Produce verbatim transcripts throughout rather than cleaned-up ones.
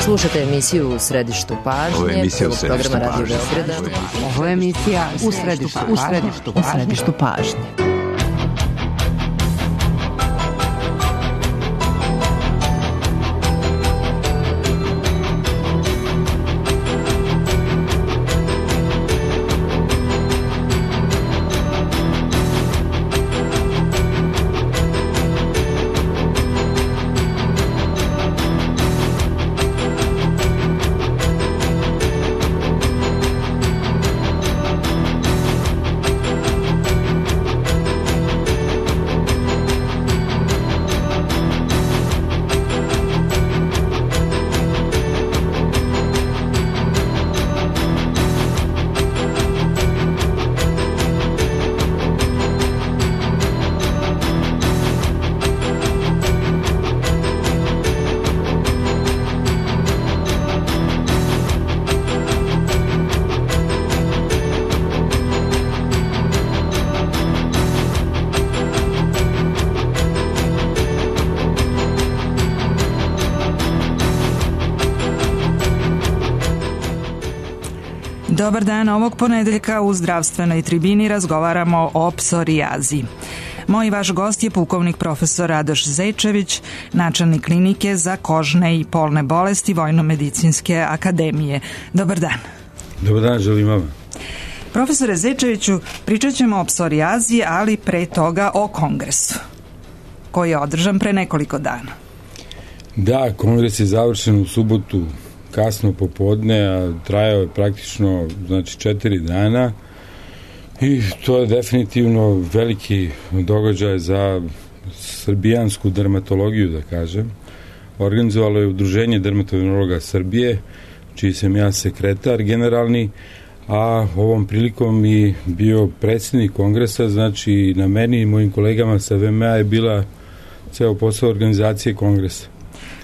Slušajte emisiju U središtu pažnje. Ovo je emisija U središtu pažnje. Radio Beograda. Ovo je emisija U središtu pažnje. U središtu pažnje. U središtu pažnje. Dobar dan, ovog ponedeljka u zdravstvenoj tribini razgovaramo o psorijazi. Moj vaš gost je pukovnik profesor Radoš Zečević, načelnik klinike za kožne i polne bolesti Vojno-medicinske akademije. Dobar dan. Dobar dan, želim vam. Profesore Zečeviću, pričat ćemo o psorijazi, ali pre toga o kongresu, koji je održan pre nekoliko dana. Da, kongres je završen u subotu kasno popodne, a trajao je praktično znači četiri dana i to je definitivno veliki događaj za srbijansku dermatologiju, da kažem. Organizovalo je Udruženje dermatologa Srbije, čiji sam ja sekretar generalni, a ovom prilikom i bio predsjednik kongresa, znači na meni i mojim kolegama sa V M A je bila ceo posao organizacije kongresa.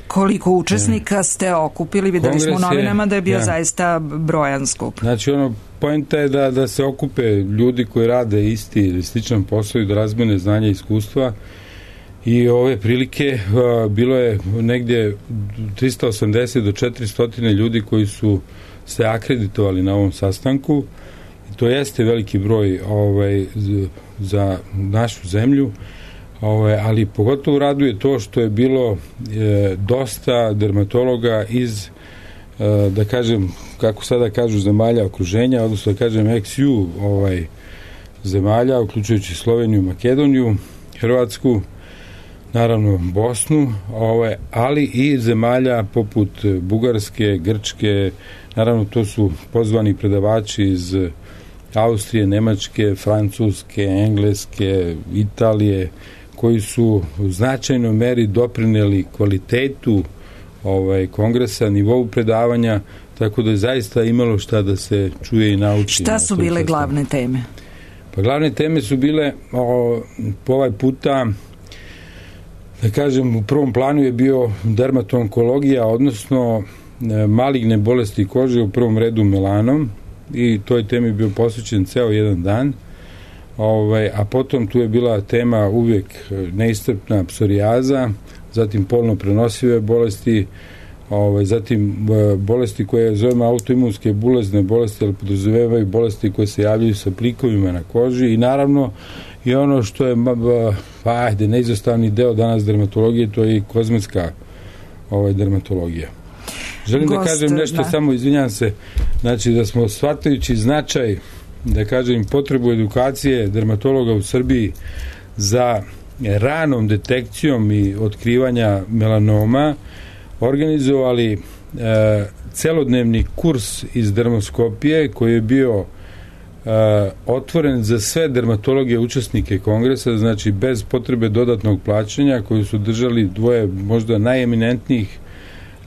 Koliko učesnika ste okupili? Videli smo u novinama da je bio ja. zaista brojan skup. Znači, ono, poenta je da, da se okupe ljudi koji rade isti ili sličan posao i da razmene znanja i iskustva. I ove prilike a, bilo je negdje trista osamdeset do četiristo ljudi koji su se akreditovali na ovom sastanku. I to jeste veliki broj ovaj, za našu zemlju. Ove, ali pogotovo raduje to što je bilo e, dosta dermatologa iz, e, da kažem, kako sada kažu, zemalja okruženja, odnosno da kažem ex ju ovaj, zemalja, uključujući Sloveniju, Makedoniju, Hrvatsku, naravno Bosnu, ovaj, ali i zemalja poput Bugarske, Grčke, naravno to su pozvani predavači iz Austrije, Nemačke, Francuske, Engleske, Italije, koji su u značajnoj meri doprineli kvalitetu ovaj, kongresa, nivou predavanja, tako da je zaista imalo šta da se čuje i nauči. Šta su bile sastavu. Glavne teme? Pa glavne teme su bile o, po ovaj puta, da kažem, u prvom planu je bio dermatonkologija, odnosno e, maligne bolesti kože, u prvom redu melanom, i toj temi bio posvećen ceo jedan dan. Ovaj, a potom tu je bila tema uvijek neiscrpna psorijaza, zatim polno prenosive bolesti, ovaj, zatim bolesti koje zovemo autoimunske bulezne bolesti, ali podrazumevaju bolesti koje se javljaju sa plikovima na koži i naravno i ono što je ajde, neizostavni deo danas dermatologije, to je i kozmetska ovaj, dermatologija. Želim Gost, da kažem nešto, da. samo izvinjam se, znači da smo shvatajući značaj, da kažem, potrebu edukacije dermatologa u Srbiji za ranom detekcijom i otkrivanja melanoma, organizovali e, celodnevni kurs iz dermoskopije koji je bio e, otvoren za sve dermatologe učesnike kongresa, znači bez potrebe dodatnog plaćanja, koji su držali dvoje možda najeminentnijih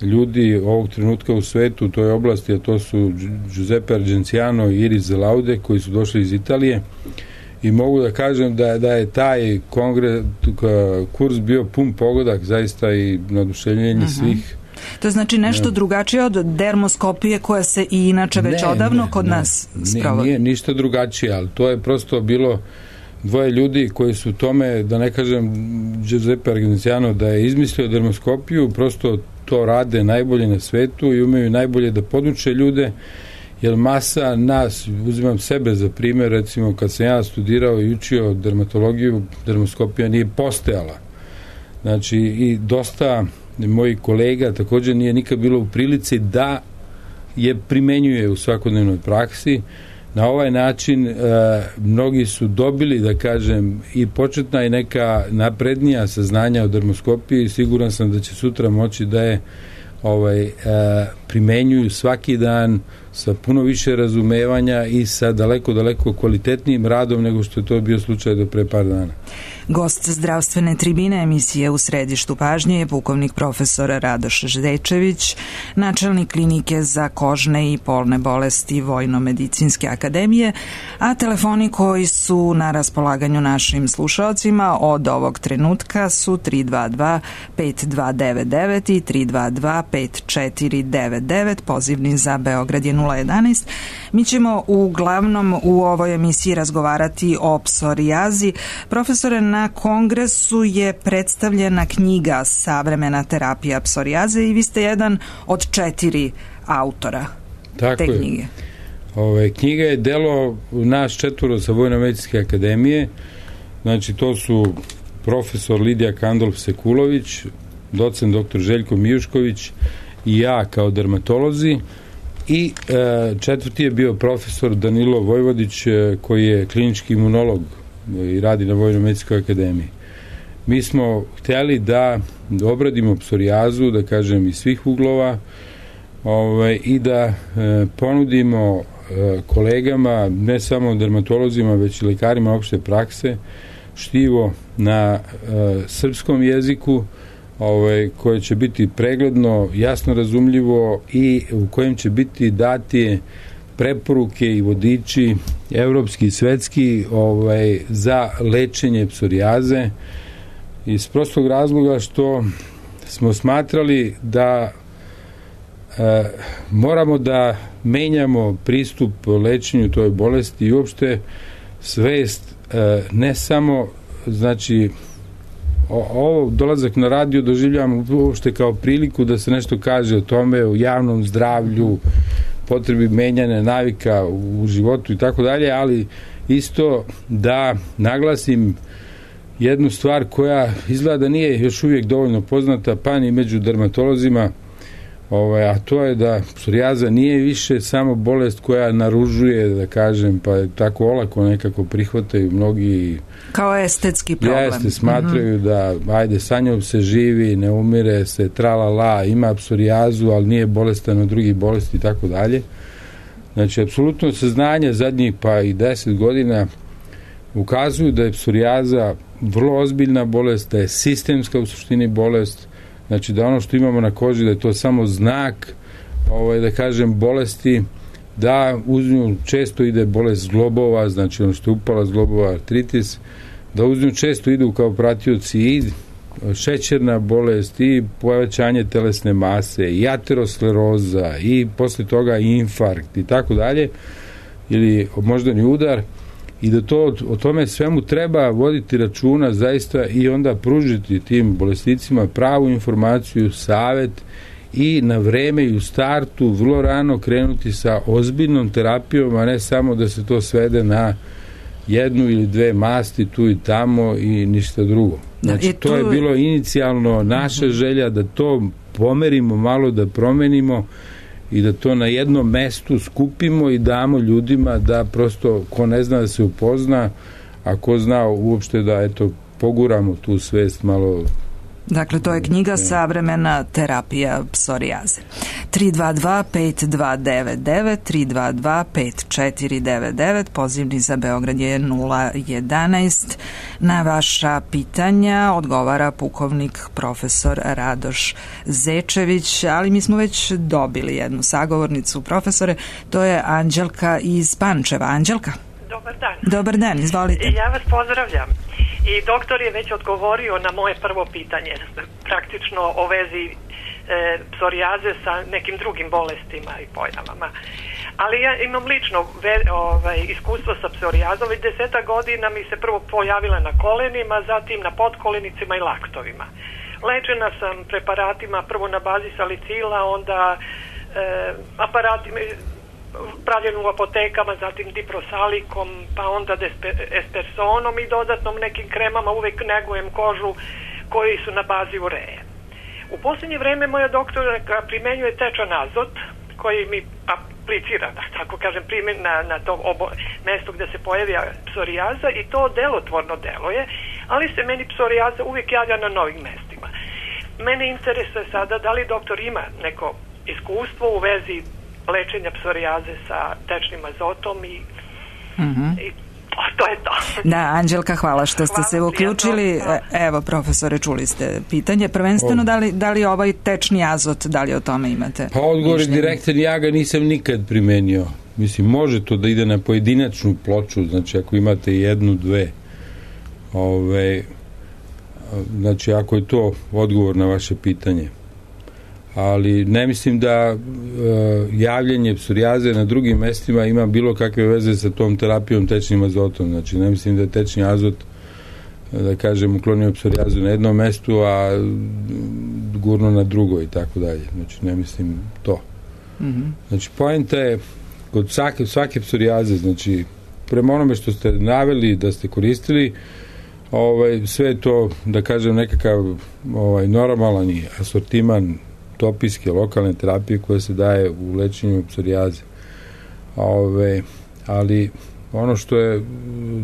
ljudi ovog trenutka u svetu u toj oblasti, a to su Giuseppe Argenziano i Iris Zelaude, koji su došli iz Italije, i mogu da kažem da, da je taj kongres, kurs bio pun pogodak, zaista i naduševljenje uh-huh. svih. To je znači nešto ne. drugačije od dermoskopije koja se i inače već ne, odavno ne, kod ne, nas sprovodi. Nije ništa drugačije, ali to je prosto bilo dvoje ljudi koji su tome, da ne kažem Giuseppe Argenziano da je izmislio dermoskopiju, prosto to rade najbolje na svetu i umeju najbolje da poduče ljude, jer masa nas, uzimam sebe za primjer, recimo kad sam ja studirao i učio dermatologiju, dermoskopija nije postojala. Znači i dosta mojih kolega također nije nikad bilo u prilici da je primenjuje u svakodnevnoj praksi. Na ovaj način e, mnogi su dobili, da kažem, i početna i neka naprednija saznanja o dermoskopiji. Siguran sam da će sutra moći da je ovaj, e, primenjuju svaki dan sa puno više razumevanja i sa daleko, daleko kvalitetnijim radom nego što je to bio slučaj do pre par dana. Gost zdravstvene tribine emisije U središtu pažnje je pukovnik profesor Radoš Zečević, načelnik klinike za kožne i polne bolesti Vojno-medicinske akademije, a telefoni koji su na raspolaganju našim slušaocima od ovog trenutka su tri dva dva pet dva devet devet i tri dva dva pet četiri devet devet, pozivni za Beograd je nula jedanaest. Mi ćemo uglavnom u ovoj emisiji razgovarati o psorijazi. Profesore, na kongresu je predstavljena knjiga Savremena terapija psorijaze i vi ste jedan od četiri autora Tako te je. knjige. Ove, knjiga je delo naš četvoro sa Vojno-medicinske akademije. Znači to su profesor Lidija Kandolf-Sekulović, docent doktor Željko Mijušković i ja kao dermatolozi, i e, četvrti je bio profesor Danilo Vojvodić, e, koji je klinički imunolog i radi na Vojno-medicinskoj akademiji. Mi smo htjeli da obradimo psorijazu, da kažem, iz svih uglova, ovaj, i da e, ponudimo e, kolegama, ne samo dermatolozima, već i lekarima opšte prakse, štivo na e, srpskom jeziku, ovaj, koje će biti pregledno, jasno razumljivo i u kojem će biti dati preporuke i vodiči evropski i svetski ovaj, za lečenje psorijaze, iz prostog razloga što smo smatrali da e, moramo da menjamo pristup lečenju toj bolesti i uopšte svest, e, ne samo, znači o, ovo dolazak na radio doživljavam uopšte kao priliku da se nešto kaže o tome, o javnom zdravlju, potrebi menjanja navika u životu i tako dalje, ali isto da naglasim jednu stvar koja izgleda da nije još uvijek dovoljno poznata, pa ni među dermatolozima, ovaj, a to je da psorijaza nije više samo bolest koja naružuje, da kažem, pa je tako olako nekako prihvataju mnogi, kao estetski problem. Jeste, smatraju mm-hmm. da ajde, sa njom se živi, ne umire se, tralala, ima psorijazu, ali nije bolestan od drugih bolesti i tako dalje. Znači, apsolutno saznanje zadnjih pa i deset godina ukazuju da je psorijaza vrlo ozbiljna bolest, da je sistemska u suštini bolest, znači da ono što imamo na koži, da je to samo znak, ovaj, da kažem, bolesti, da uz nju često ide bolest zglobova, znači ono što je upala zglobova, artritis, da uz nju često idu kao pratioci i šećerna bolest i povećanje telesne mase i ateroskleroza i posle toga infarkt i tako dalje, ili moždani udar, i da to o tome svemu treba voditi računa zaista i onda pružiti tim bolesnicima pravu informaciju, savet i na vreme i u startu vrlo rano krenuti sa ozbiljnom terapijom, a ne samo da se to svede na jednu ili dve masti tu i tamo i ništa drugo. Znači, tu... to je bilo inicijalno naša želja da to pomerimo malo, da promenimo i da to na jednom mestu skupimo i damo ljudima da prosto, ko ne zna da se upozna, a ko zna uopšte da eto, poguramo tu svest malo. Dakle, to je knjiga Savremena terapija psorijaze. tri dva dva pet dva devet devet, tri dva dva pet četiri devet devet, pozivni za Beograd je nula jedanaest. Na vaša pitanja odgovara pukovnik profesor Radoš Zečević, ali mi smo već dobili jednu sagovornicu, profesore, to je Anđelka iz Pančeva. Anđelka? Dobar dan. Dobar dan, izvolite. Ja vas pozdravljam. I doktor je već odgovorio na moje prvo pitanje, praktično o vezi e, psorijaze sa nekim drugim bolestima i pojavama. Ali ja imam lično ve, ovaj, iskustvo sa psorijazom, već deseta godina mi se prvo pojavila na kolenima, zatim na potkolenicima i laktovima. Lečena sam preparatima prvo na bazi salicila, onda e, aparatima pravljenu u apotekama, zatim diprosalikom, pa onda despe, espersonom i dodatnom nekim kremama, uvek negujem kožu koji su na bazi ureje. U posljednje vreme moja doktorka primenjuje tečan azot koji mi aplicira, da tako kažem, primjen na, na to obo, mesto gde se pojavlja psorijaza i to delotvorno deluje, ali se meni psorijaza uvijek javlja na novim mestima. Mene interesuje sada da li doktor ima neko iskustvo u vezi lečenja psorijaze sa tečnim azotom i, mm-hmm. i o, to je to. Da, Anđelka, hvala što ste hvala, se uključili. Evo, profesore, čuli ste pitanje. Prvenstveno, o. da li, da li ovaj tečni azot, da li o tome imate? Pa odgovor je direktan, ja ga nisam nikad primenio. Mislim, može to da ide na pojedinačnu ploču, znači ako imate jednu, dve, ove, znači ako je to odgovor na vaše pitanje. Ali ne mislim da e, javljanje psorijaze na drugim mestima ima bilo kakve veze sa tom terapijom tečnim azotom. Znači ne mislim da je tečni azot, da kažem, uklonio psorijazu na jednom mestu, a gurno na drugo i tako dalje. Znači ne mislim to. Mm-hmm. Znači poenta je kod svake, svake psorijaze, znači prema onome što ste naveli da ste koristili, ovaj, sve je to, da kažem, nekakav ovaj, normalan i asortiman topijske, lokalne terapije koje se daje u lečenju psorijaze. Ove, ali ono što je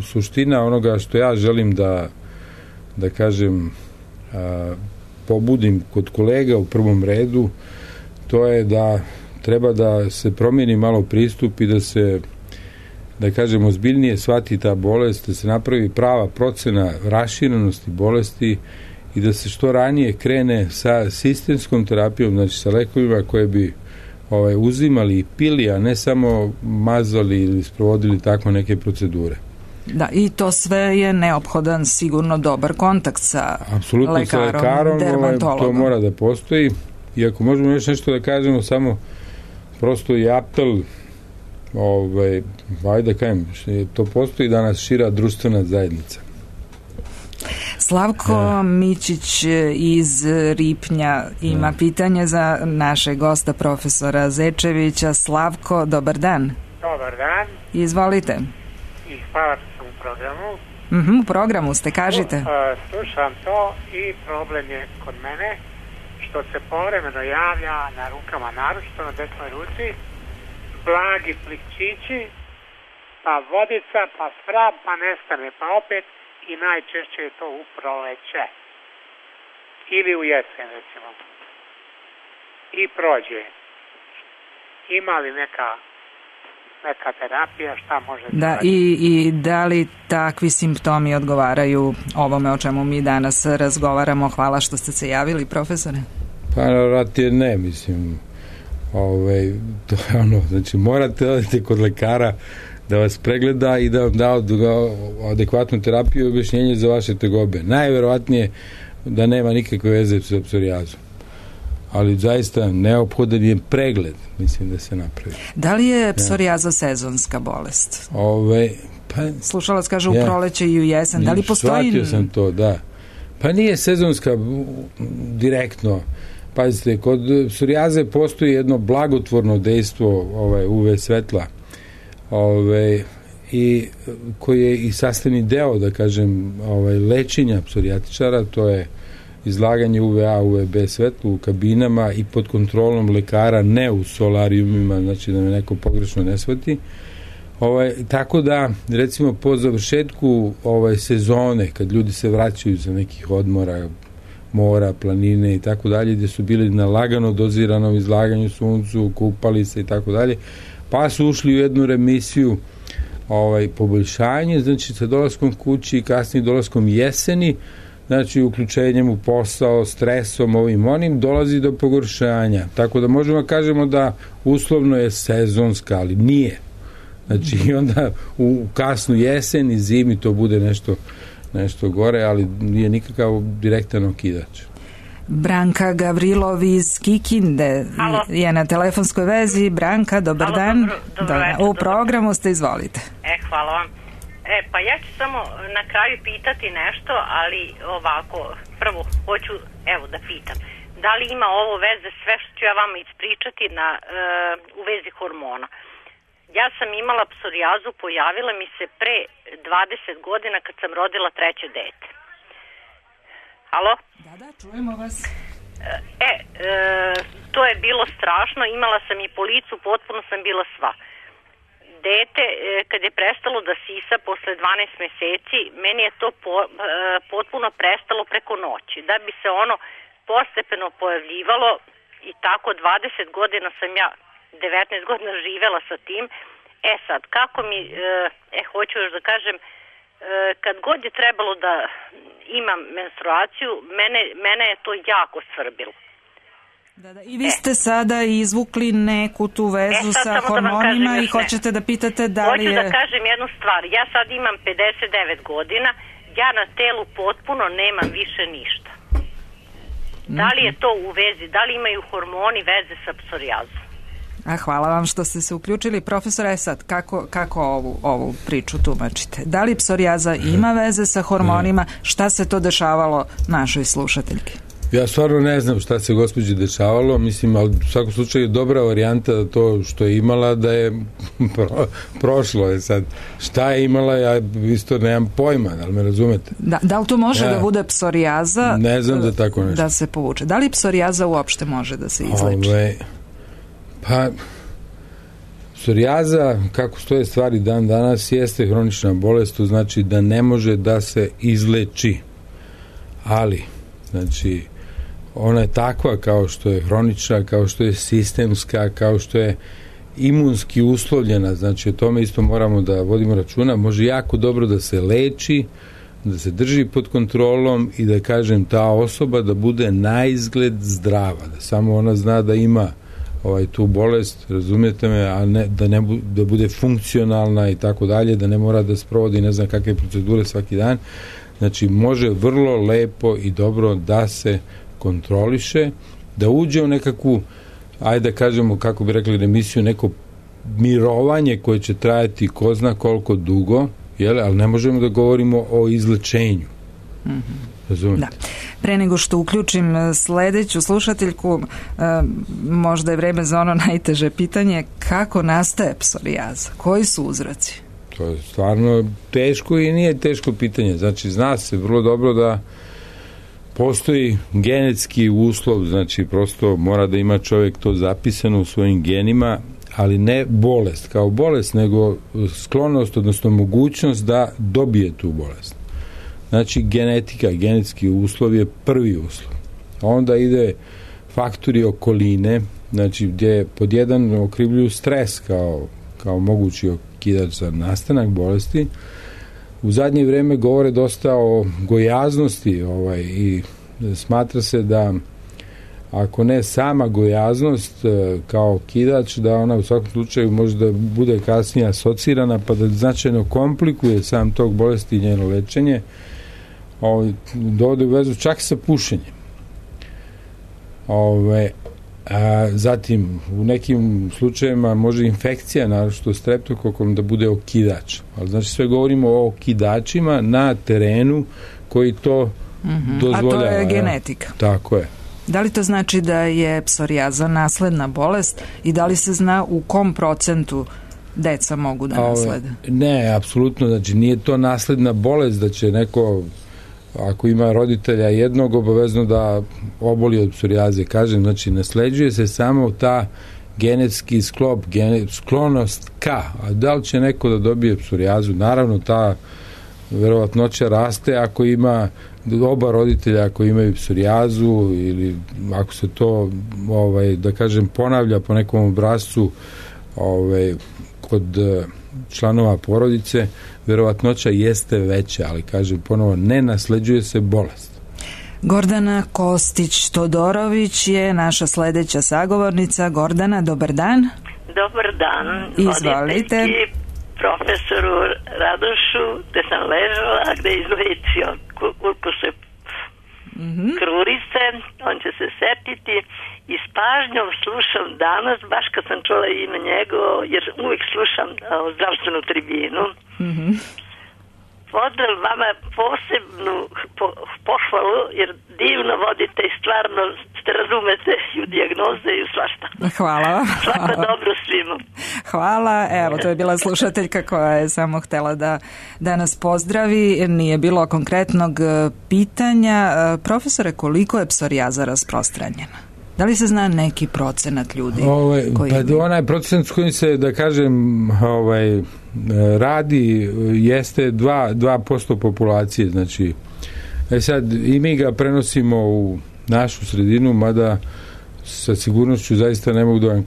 suština onoga što ja želim da da kažem a, pobudim kod kolega u prvom redu, to je da treba da se promijeni malo pristup i da se, da kažem, ozbiljnije shvati ta bolest, da se napravi prava procena raširenosti bolesti i da se što ranije krene sa sistemskom terapijom, znači sa lekovima koje bi ovaj, uzimali i pili, a ne samo mazali ili sprovodili tako neke procedure. Da, i to sve je neophodan sigurno dobar kontakt sa apsolutno lekarom, sa lekarom, dermatologom. To mora da postoji. I ako možemo još nešto da kažemo, samo prosto i apel, ovaj, ajde da kažem, to postoji danas šira društvena zajednica. Slavko ja. Mićić iz Ripnja ima ja. pitanje za našeg gosta profesora Zečevića. Slavko, dobar dan. Dobar dan. Izvolite. I hvala sam u programu. Mm-hmm, u programu ste, kažite. Uh, slušam to i problem je kod mene što se povremeno javlja na rukama, naročito na desnoj ruci, blagi plikčići, pa vodica, pa svrab, pa nestane, pa opet, i najčešće je to u proleće ili u jesen, recimo, i prođe. Ima li neka neka terapija, šta može da, da i, i da li takvi simptomi odgovaraju ovome o čemu mi danas razgovaramo? Hvala što ste se javili, profesore. Pa naravno ne, mislim, ovaj, to je ono, znači morate odete kod lekara da vas pregleda i da vam da adekvatnu terapiju i objašnjenje za vaše tegobe. Najverovatnije da nema nikakve veze sa psorijazom. Ali zaista neophodan je pregled, mislim, da se napravi. Da li je psorijaza sezonska bolest? Ove, pa, slušalac kaže ja, u proleće i u jesen. Da li postoji... Shvatio sam to, da. Pa nije sezonska direktno. Pazite, kod psorijaze postoji jedno blagotvorno dejstvo ovaj, U V svetla, ove, i koji je i sastavni deo, da kažem, ovaj, lečenja psorijatičara, to je izlaganje U V A, U V B svetlu u kabinama i pod kontrolom lekara, ne u solarijumima, znači da me neko pogrešno ne shvati. Ovaj, tako da, recimo, po završetku ovaj, sezone, kad ljudi se vraćaju za nekih odmora, mora, planine i tako dalje, gde su bili na lagano doziranom izlaganju suncu, kupali se i tako dalje, pa su ušli u jednu remisiju, ovaj, poboljšanje, znači sa dolaskom kući i kasnije dolaskom jeseni, znači uključenjem u posao, stresom, ovim onim, dolazi do pogoršanja. Tako da možemo kažemo da uslovno je sezonska, ali nije. Znači i onda u kasnu jesen i zimi to bude nešto, nešto gore, ali nije nikakav direktan okidač. Branka Gavrilov iz Kikinde Halo. je na telefonskoj vezi. Branka, dobar Halo, dan. dobro, dobro večer, U programu ste, izvolite. E, hvala vam. E, pa ja ću samo na kraju pitati nešto, ali ovako, prvo hoću, evo da pitam, da li ima ovo veze sve što ću ja vama ispričati na, e, u vezi hormona? Ja sam imala psorijazu, pojavila mi se pre dvadeset godina kad sam rodila treće dete. Halo? Da, da, čujemo vas. E, e, to je bilo strašno, imala sam i po licu, potpuno sam bila sva. Dete, e, kad je prestalo da sisa posle dvanaest meseci, meni je to po, e, potpuno prestalo preko noći. Da bi se ono postepeno pojavljivalo i tako dvadeset godina sam ja, devetnaest godina živela sa tim. E sad, kako mi, e, e hoću još da kažem, e, kad god je trebalo da imam menstruaciju, mene, mene je to jako svrbilo. Da, da. I vi ste e. sada izvukli neku tu vezu e, sa hormonima da i hoćete da pitate da li je... Hoću da kažem jednu stvar. Ja sad imam pedeset devet godina, ja na telu potpuno nemam više ništa. Mm-hmm. Da li je to u vezi, da li imaju hormoni veze sa psorijazom? A hvala vam što ste se uključili. Profesore, sad, kako, kako ovu, ovu priču tumačite? Da li psorijaza ima veze sa hormonima? Šta se to dešavalo našoj slušateljki? Ja stvarno ne znam šta se gospođi dešavalo, mislim, ali u svakom slučaju je dobra varijanta da to što je imala da je pro, prošlo je sad. Šta je imala, ja isto nemam pojma, da li me razumete? Da, da li to može ja, da bude psorijaza? Ne znam da tako nešto. Da se povuče. Da li psorijaza uopšte može da se izleči? Ove, pa, psorijaza, kako stoje stvari dan danas, jeste hronična bolest, to znači da ne može da se izleči. Ali, znači, ona je takva kao što je hronična, kao što je sistemska, kao što je imunski uslovljena, znači o tome isto moramo da vodimo računa, može jako dobro da se leči, da se drži pod kontrolom i da, kažem, ta osoba da bude na izgled zdrava, da samo ona zna da ima ovaj, tu bolest, razumijete me, a ne, da, ne bu, da bude funkcionalna i tako dalje, da ne mora da sprovodi ne znam kakve procedure svaki dan. Znači, može vrlo lepo i dobro da se kontroliše, da uđe u nekakvu, ajde da kažemo, kako bi rekli, remisiju, neko mirovanje koje će trajati ko zna koliko dugo, jel? Ali ne možemo da govorimo o izlečenju. Mm-hmm. Razumite? Da. Pre nego što uključim sledeću slušateljku, možda je vreme za ono najteže pitanje, kako nastaje psorijaza? Koji su uzroci? To je stvarno teško i nije teško pitanje. Znači, zna se vrlo dobro da postoji genetski uslov, znači prosto mora da ima čovjek to zapisano u svojim genima, ali ne bolest kao bolest, nego sklonost, odnosno mogućnost da dobije tu bolest. Znači, genetika, genetski uslov je prvi uslov. Onda ide faktori okoline, znači gdje pod jedan okrivljuju stres kao, kao mogući okidač za nastanak bolesti. U zadnje vrijeme govore dosta o gojaznosti ovaj, i smatra se da ako ne sama gojaznost kao okidač, da ona u svakom slučaju može da bude kasnije asocirana pa da značajno komplikuje sam tog bolesti i njeno lečenje, ovaj, dovode u vezu čak sa pušenjem. Ove, a zatim u nekim slučajevima može infekcija, naročito streptokokom, da bude okidač. Ali znači sve govorimo o okidačima na terenu koji to mm-hmm. dozvoljava. A to je genetika. Ja. Tako je. Da li to znači da je psorijaza nasledna bolest i da li se zna u kom procentu deca mogu da naslede? A, ne, apsolutno, znači nije to nasledna bolest da će neko, ako ima roditelja jednog, obavezno da oboli od psorijaze. Kažem, znači nasleđuje se samo ta genetski sklop, gene, sklonost ka. A da li će neko da dobije psorijazu? Naravno, ta verovatnoća raste ako ima oba roditelja ako imaju psorijazu ili ako se to, ovaj, da kažem, ponavlja po nekom obrascu ovaj, kod članova porodice, verovatnoća jeste veća, ali kažem ponovo, ne nasleđuje se bolest. Gordana Kostić-Todorović je naša sledeća sagovornica. Gordana, dobar dan. Dobar dan. Izvolite. Profesoru Radošu, gde sam ležala, gde je izlečio koliko se mm-hmm. krurice, on će se setiti i s pažnjom slušam danas, baš kad sam čula ime njegovo, jer uvijek slušam o, zdravstvenu tribinu. Mhm. Pozdrav vama, posebnu po, pohvalu, jer divno vodite i stvarno ste razumete i u dijagnoze i u svašta. Hvala. Svako dobro svima. Hvala. Evo, to je bila slušateljka koja je samo htjela da, da nas pozdravi. Nije bilo konkretnog pitanja. Profesore, koliko je psorijaza rasprostranjena? Da li se zna neki procenat ljudi? Ovaj, koji... Pa onaj procenat s kojim se, da kažem, ovaj, radi jeste dva posto populacije. Znači, e sad, i mi ga prenosimo u našu sredinu, mada sa sigurnošću zaista ne mogu da vam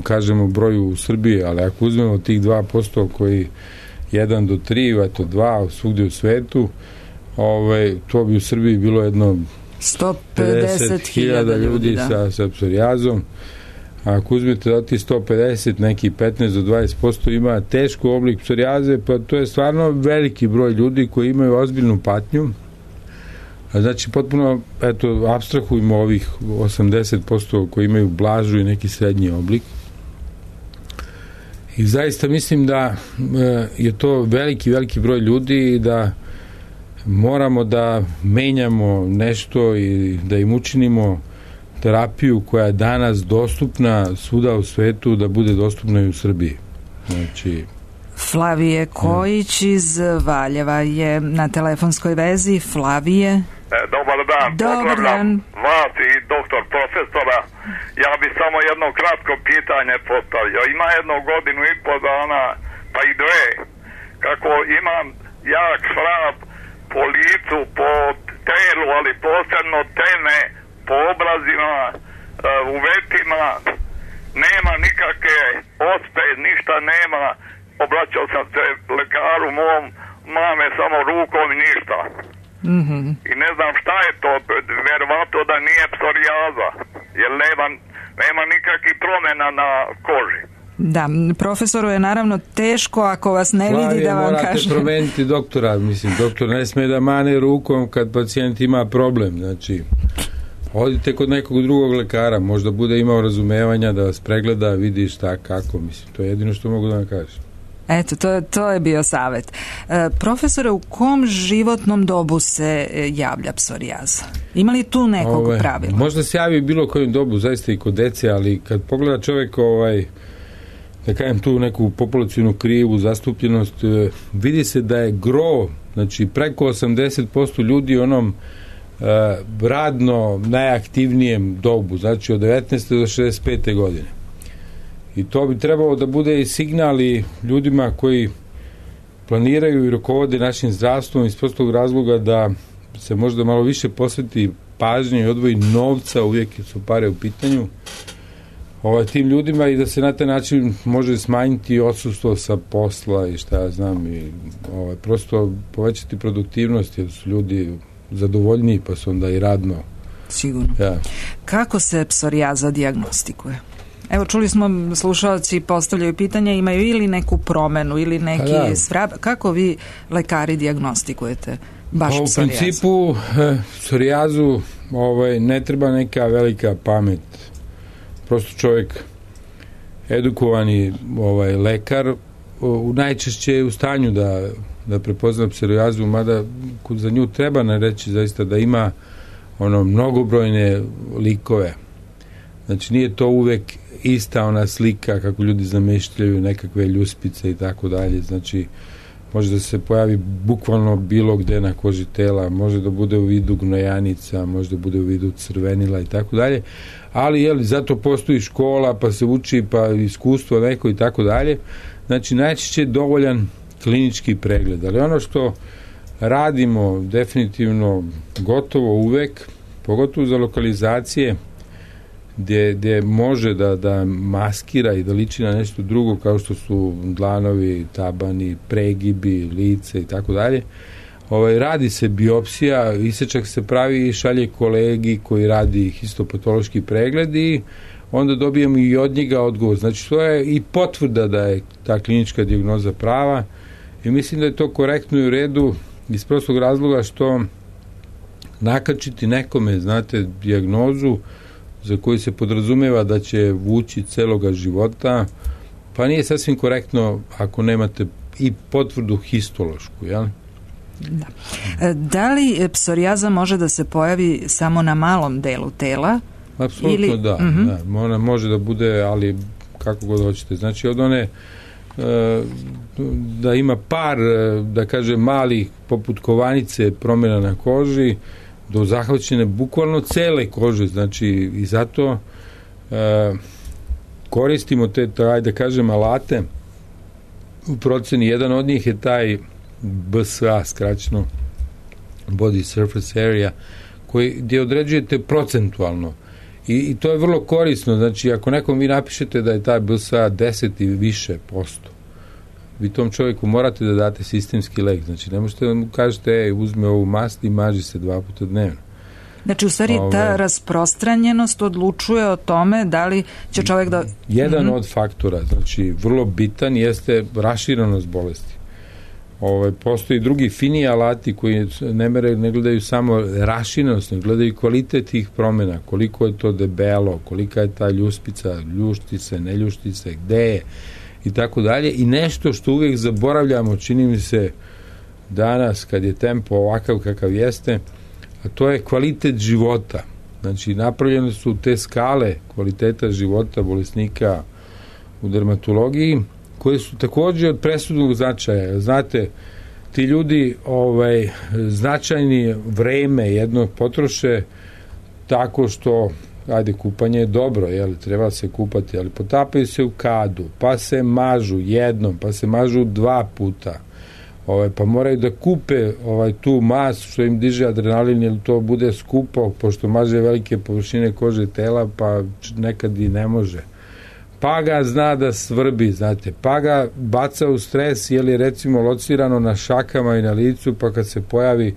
kažemo broju u Srbiji, ali ako uzmemo tih dva posto koji jedan do tri, eto dva svugdje u svetu, ovaj, to bi u Srbiji bilo jedno sto pedeset hiljada ljudi, ljudi sa, sa psorijazom. Ako uzmete da ti sto pedeset, neki petnaest do dvadeset posto ima teško oblik psorijaze, pa to je stvarno veliki broj ljudi koji imaju ozbiljnu patnju. A znači, potpuno, eto, apstrahujemo ovih osamdeset posto koji imaju blažu i neki srednji oblik. I zaista mislim da je to veliki, veliki broj ljudi i da moramo da menjamo nešto i da im učinimo terapiju koja je danas dostupna svuda u svetu, da bude dostupna i u Srbiji. Znači... Flavije Kojić iz Valjeva je na telefonskoj vezi. Flavije. E, dobar dan. Dobar dan. Vas i doktor profesora. Ja bi samo jedno kratko pitanje postavio. Ima jedno godinu i po dana, pa i dve, kako imam jak šrap po licu, po telu, ali posebno tene, po obrazima, u vetima, nema nikakve ospe, ništa nema. Obraćao sam se lekaru mom, mame samo rukom i ništa. Mm-hmm. I ne znam šta je to, verovatno da nije psorijaza, jer nema, nema nikakvih promjena na koži. Da, profesoru je naravno teško ako vas ne Flavije, vidi da vam morate kaže. Morate promeniti doktora, mislim, doktor ne sme da mane rukom kad pacijent ima problem, znači odite kod nekog drugog lekara, možda bude imao razumevanja da vas pregleda, vidi šta, kako, mislim, to je jedino što mogu da vam kažem. Eto, to, to je bio savjet. E, profesore, u kom životnom dobu se javlja psorijaza? Ima li tu nekog ovaj, pravila? Možda se javi bilo kojem dobu, zaista i kod dece, ali kad pogleda čovjek ovaj, da kažem tu neku populacijnu krivu zastupljenost, vidi se da je gro, znači preko osamdeset posto ljudi u onom uh, radno najaktivnijem dobu, znači od devetnaeste do šezdeset pete godine. I to bi trebalo da bude i signali ljudima koji planiraju i rukovode našim zdravstvom iz prostog razloga da se možda malo više posveti pažnje i odvoji novca, uvijek su pare u pitanju, ovaj, tim ljudima i da se na taj način može smanjiti odsustvo sa posla i šta ja znam i ovaj, prosto povećati produktivnost jer su ljudi zadovoljniji pa su onda i radno. Sigurno. Ja. Kako se psorijaza dijagnostikuje? Evo, čuli smo, slušalci postavljaju pitanje, imaju ili neku promenu ili neki da. svrab. Kako vi, lekari, dijagnostikujete baš pa, u psorijazu? U principu, eh, psorijazu ovaj, ne treba neka velika pamet. Prosto čovjek edukovani ovaj, lekar u najčešće je u stanju da, da prepozna psorijazu, mada za nju treba ne reći zaista da ima ono mnogobrojne likove. Znači nije to uvek ista ona slika kako ljudi zamišljaju nekakve ljuspice i tako dalje. Znači može da se pojavi bukvalno bilo gde na koži tela, može da bude u vidu gnojanica, može da bude u vidu crvenila i tako dalje. Ali jel, zato postoji škola, pa se uči, pa iskustvo neko i tako dalje. Znači najčešće je dovoljan klinički pregled. Ali ono što radimo definitivno gotovo uvek, pogotovo za lokalizacije gdje, gdje može da, da maskira i da liči na nešto drugo kao što su dlanovi, tabani, pregibi, lice i tako dalje. Ovaj, radi se biopsija, isečak se pravi i šalje kolegi koji radi histopatološki pregled i onda dobijemo i od njega odgovor. Znači to je i potvrda da je ta klinička dijagnoza prava i mislim da je to korektno i u redu iz prostog razloga što nakačiti nekome, znate, dijagnozu za koju se podrazumeva da će vući celoga života, pa nije sasvim korektno ako nemate i potvrdu histološku, jel? Da. Da li psorijaza može da se pojavi samo na malom delu tela? Apsolutno ili... da, uh-huh. da. Ona može da bude, ali kako god hoćete. Znači od one da ima par, da kažem, malih poput kovanice promjena na koži do zahvaćene bukvalno cele kože, znači i zato e, koristimo te, ajde da kažem, alate u proceni. Jedan od njih je taj B S A, skraćeno Body Surface Area, koji, gdje određujete procentualno i, i to je vrlo korisno. Znači ako nekom vi napišete da je taj B S A deset i više posto, vi tom čovjeku morate da date sistemski lek. Znači ne možete da mu kažete ej, uzme ovu mast i maži se dva puta dnevno. Znači u stvari Ove, ta rasprostranjenost odlučuje o tome da li će čovjek da... Jedan mm-hmm. od faktora, znači vrlo bitan, jeste raširenost bolesti. Ove, postoji drugi fini alati koji ne, mere, ne gledaju samo raširenost, ne gledaju kvalitet tih promjena, koliko je to debelo, kolika je ta ljuspica, ljušti se, ne ljušti se, gde je i tako dalje. I nešto što uvijek zaboravljamo, čini mi se danas kad je tempo ovakav kakav jeste, a to je kvalitet života. Znači napravljene su te skale kvaliteta života bolesnika u dermatologiji koje su također od presudnog značaja. Znate, ti ljudi ovaj, značajni vreme jedno potroše tako što, ajde, kupanje je dobro, jel, treba se kupati, ali potapaju se u kadu, pa se mažu jednom, pa se mažu dva puta, ovaj, pa moraju da kupe ovaj, tu masu što im diže adrenalin, jer to bude skupo, pošto maže velike površine kože tela, pa nekad i ne može. Pa ga zna da svrbi, znate, pa ga baca u stres, jer je recimo locirano na šakama i na licu, pa kad se pojavi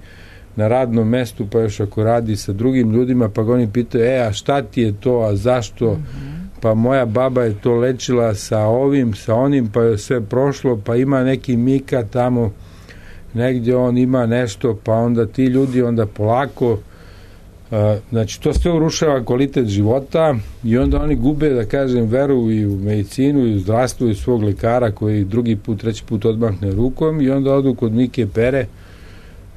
na radnom mestu, pa još ako radi sa drugim ljudima, pa ga oni pitaju, e, a šta ti je to, a zašto? Mm-hmm. Pa moja baba je to lečila sa ovim, sa onim, pa je sve prošlo, pa ima neki Mika tamo, negdje on ima nešto, pa onda ti ljudi onda polako, uh, znači to sve urušava kvalitet života i onda oni gube, da kažem, veru i u medicinu i u zdravstvo i svog lekara koji drugi put, treći put odmahne rukom i onda odu kod Mike Pere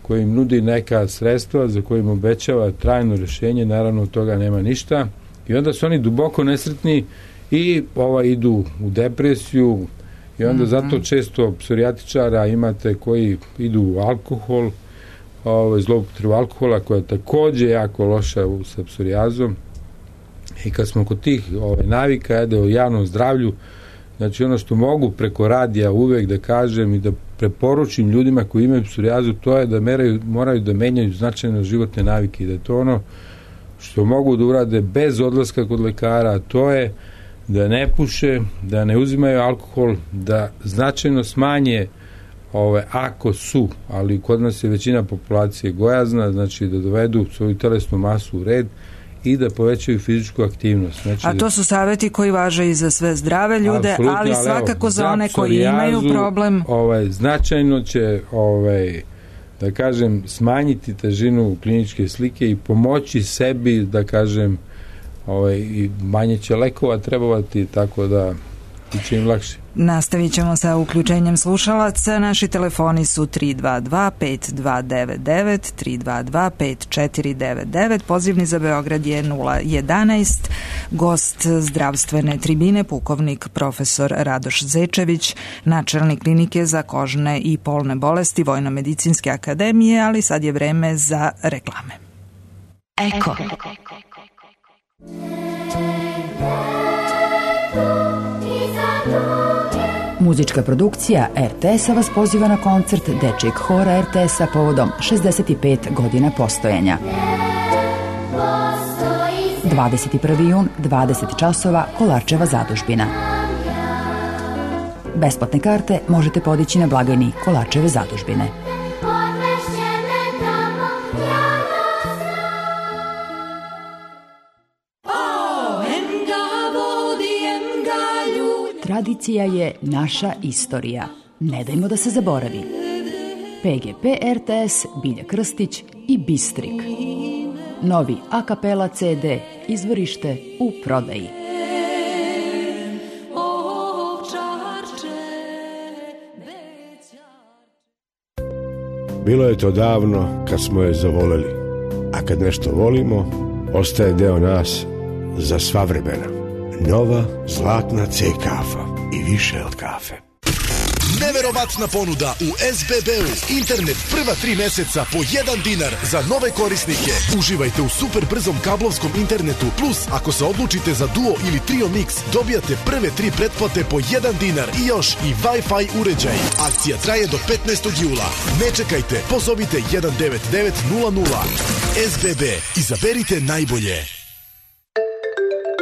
koji im nudi neka sredstva za koje im obećava trajno rješenje, naravno od toga nema ništa i onda su oni duboko nesretni i ovaj, idu u depresiju i onda mm-hmm. zato često psorijatičara imate koji idu u alkohol, ovaj, zloupotrebu alkohola koja je također jako loša u, sa psorijazom i kad smo kod tih ovaj, navika jede o javnom zdravlju, znači ono što mogu preko radija uvek da kažem i da preporučim ljudima koji imaju psorijazu, to je da meraju, moraju da menjaju značajno životne navike i da je to ono što mogu da urade bez odlaska kod lekara, to je da ne puše, da ne uzimaju alkohol, da značajno smanje ove, ako su, ali kod nas je većina populacije gojazna, znači da dovedu svoju telesnu masu u red i da povećaju fizičku aktivnost. Znači, a to su savjeti koji važe i za sve zdrave ljude, ali, ali svakako evo, za one koji imaju problem. Ovaj, značajno će ovaj, da kažem smanjiti težinu kliničke slike i pomoći sebi, da kažem, ovaj, i manje će lekova trebovati, tako da će im lakše. Nastavit ćemo sa uključenjem slušalaca. Naši telefoni su tri dva dva pet dva devet devet, tri dva dva pet četiri devet devet, pozivni za Beograd je nula jedanaest. Gost zdravstvene tribine, pukovnik profesor Radoš Zečević, načelnik klinike za kožne i polne bolesti Vojno-medicinske akademije, ali sad je vreme za reklame. Eko. Muzička produkcija er te es-a vas poziva na koncert Dečijeg hora er te es-a povodom šezdeset pet godina postojanja. dvadeset prvi jun, dvadeset časova, Kolarčeva zadužbina. Besplatne karte možete podići na blagajni Kolarčeve zadužbine. Tradicija je naša istorija. Ne dajmo da se zaboravi. pe ge pe er te es, Bilja Krstić i Bistrik. novi a kapela ce de, izvorište u prodaji. Bilo je to davno kad smo je zavoleli, a kad nešto volimo, ostaje deo nas za sva vremena. Nova zlatna C kafa i više od kafe. Neverovatna ponuda u es be be-u. Internet prva tri meseca po jedan dinar za nove korisnike. Uživajte u super brzom kablovskom internetu, plus ako se odlučite za Duo ili Trio Mix, dobijate prve tri pretplate po jedan dinar i još i Wi-Fi uređaj. Akcija traje do petnaestog jula. Ne čekajte, pozovite jedan devet devet nula nula. es be be, izaberite najbolje.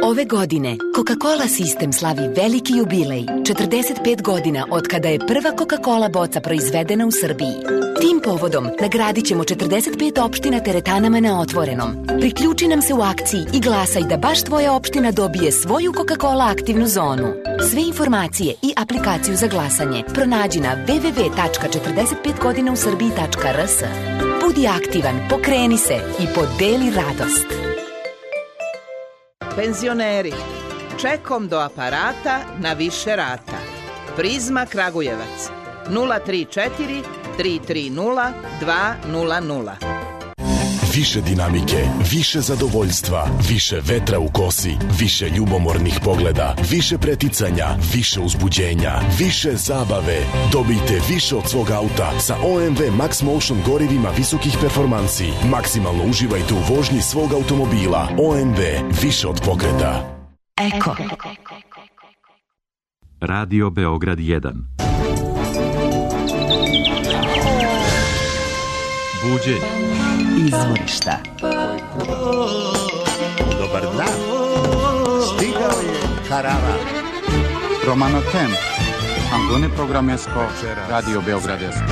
Ove godine Coca-Cola sistem slavi veliki jubilej, četrdeset pet godina od kada je prva Coca-Cola boca proizvedena u Srbiji. Tim povodom nagradit ćemo četrdeset pet opština teretanama na otvorenom. Priključi nam se u akciji i glasaj da baš tvoja opština dobije svoju Coca-Cola aktivnu zonu. Sve informacije i aplikaciju za glasanje pronađi na w w w tačka četrdeset pet godina u srbiji tačka r s. Budi aktivan, pokreni se i podeli radost. Penzioneri, čekom do aparata na više rata. Prizma Kragujevac, nula tri četiri tri tri nula dva nula nula. Više dinamike, više zadovoljstva, više vetra u kosi, više ljubomornih pogleda, više preticanja, više uzbuđenja, više zabave. Dobijte više od svog auta sa O M V Max Motion gorivima visokih performansi. Maksimalno uživajte u vožnji svog automobila. O M V, više od pokreta. Eko. Radio Beograd jedan. Buđenje. Izvorišta. Dobar dan. Stigao je Karava. Romano Tem. Antone Programesko. Radio Beogradesko.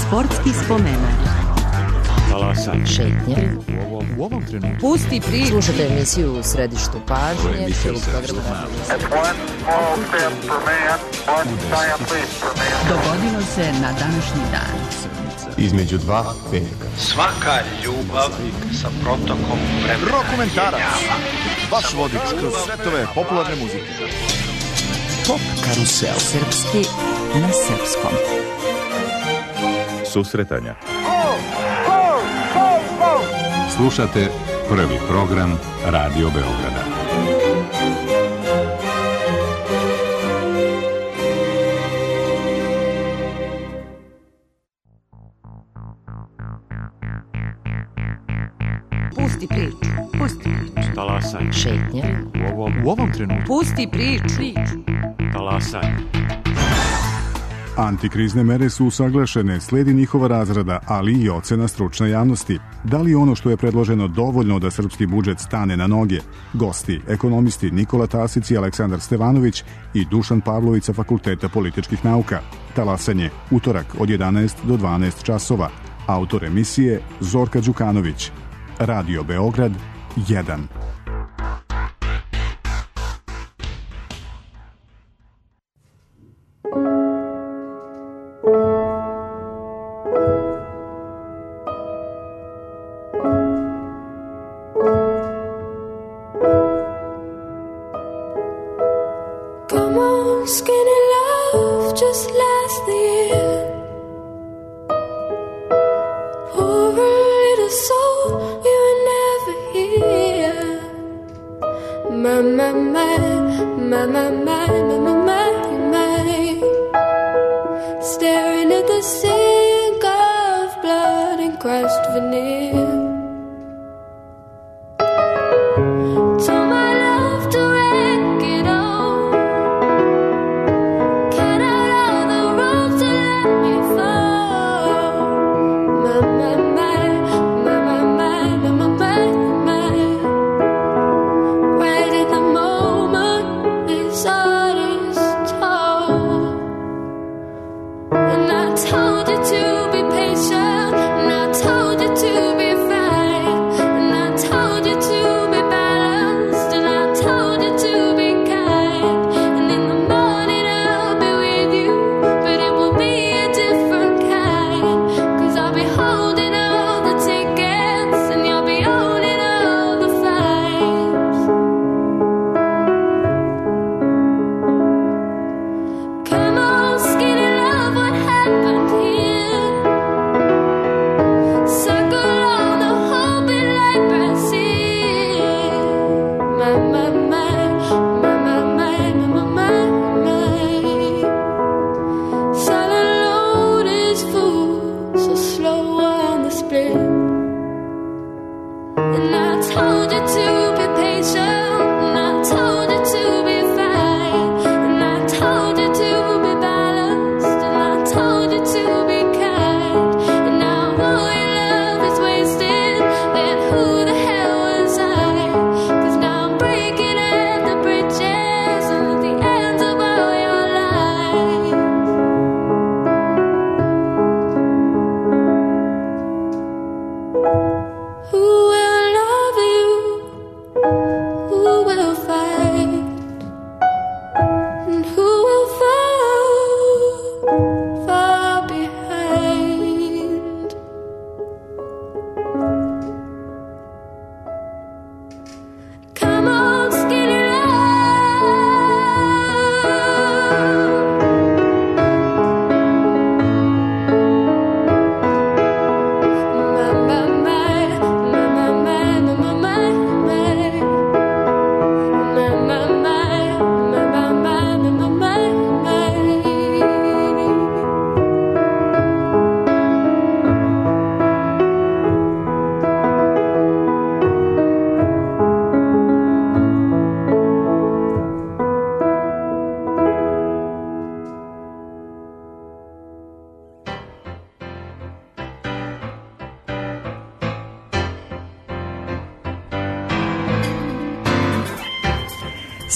Sportski spomenak. Talasan. Šetnje. U ovom trenutku. Pusti priču. Slušajte emisiju u središtu pažnje. Dogodilo se na današnji dan. Između dva veka. Svaka ljubav sa protokom vremena. Rokomentarac. Vaš vodič kroz svetove popularne muzike. Pop karusel. Srpski na srpskom. Susretanja. Slušate prvi program Radio Beograda. Pusti priču. Pusti priču. Talasaj. Šetnje. U ovom, u ovom trenutku. Pusti priču. Talasaj. Antikrizne mere su usaglašene, sledi njihova razrada, ali i ocena stručne javnosti. Da li ono što je predloženo dovoljno da srpski budžet stane na noge? Gosti, ekonomisti Nikola Tasić i Aleksandar Stevanović i Dušan Pavlović sa Fakulteta političkih nauka. Talasanje, utorak od jedanaest do dvanaest časova. Autor emisije Zorka Đukanović. Radio Beograd jedan. And I told you to be patient, and I told you to